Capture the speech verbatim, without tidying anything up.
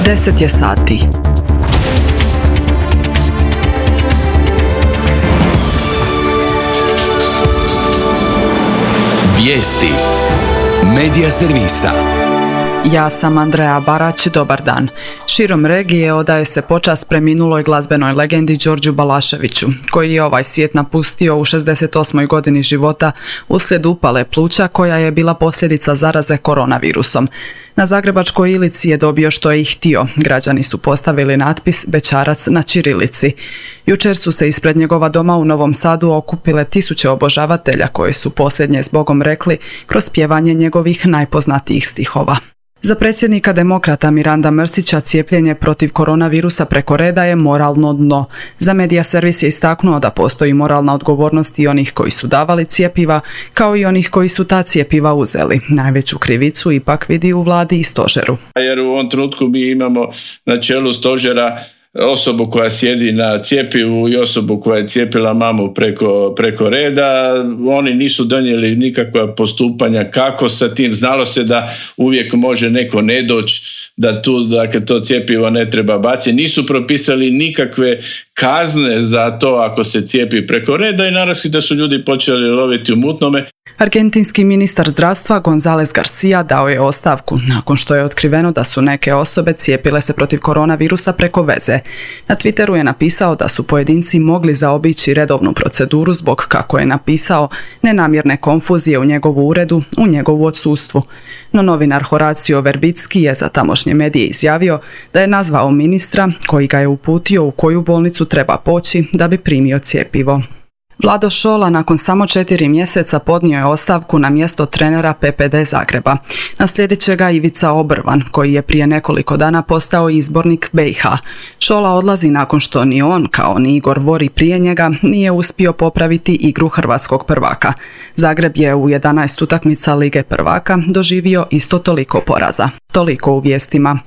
Deset je sati. Vijesti Medija servisa. Ja sam Andreja Barać, dobar dan. Širom regije odaje se počast preminuloj glazbenoj legendi Đorđu Balaševiću, koji je ovaj svijet napustio u šezdeset osmoj godini života uslijed upale pluća koja je bila posljedica zaraze koronavirusom. Na Zagrebačkoj Ilici je dobio što je i htio. Građani su postavili natpis Bećarac na ćirilici. Jučer su se ispred njegova doma u Novom Sadu okupile tisuće obožavatelja koji su posljednje s Bogom rekli kroz pjevanje njegovih najpoznatijih stihova. Za predsjednika Demokrata Miranda Mrsića cijepljenje protiv koronavirusa preko reda je moralno dno. Za Medija servis je istaknuo da postoji moralna odgovornost i onih koji su davali cjepiva, kao i onih koji su ta cjepiva uzeli. Najveću krivicu ipak vidi u vladi i stožeru. Jer u ovom trenutku mi imamo na čelu stožera osobu koja sjedi na cjepivu i osobu koja je cijepila mamu preko, preko reda. Oni nisu donijeli nikakva postupanja kako sa tim. Znalo se da uvijek može neko ne doći, da tu, dakle, to cjepivo ne treba baciti. Nisu propisali nikakve kazne za to ako se cijepi preko reda i naravno da su ljudi počeli loviti u mutnome. Argentinski ministar zdravstva González García dao je ostavku nakon što je otkriveno da su neke osobe cijepile se protiv koronavirusa preko veze. Na Twitteru je napisao da su pojedinci mogli zaobići redovnu proceduru zbog, kako je napisao, nenamjerne konfuzije u njegovu uredu, u njegovu odsustvu. No novinar Horacio Verbicki je za tamošnje medije izjavio da je nazvao ministra koji ga je uputio u koju bolnicu treba poći da bi primio cjepivo. Vlado Šola nakon samo četiri mjeseca podnio je ostavku na mjesto trenera P P D Zagreba. Naslijedit će ga Ivica Obrvan, koji je prije nekoliko dana postao izbornik B i H. Šola odlazi nakon što ni on, kao ni Igor Vori prije njega, nije uspio popraviti igru hrvatskog prvaka. Zagreb je u jedanaest utakmica Lige prvaka doživio isto toliko poraza. Toliko u vijestima.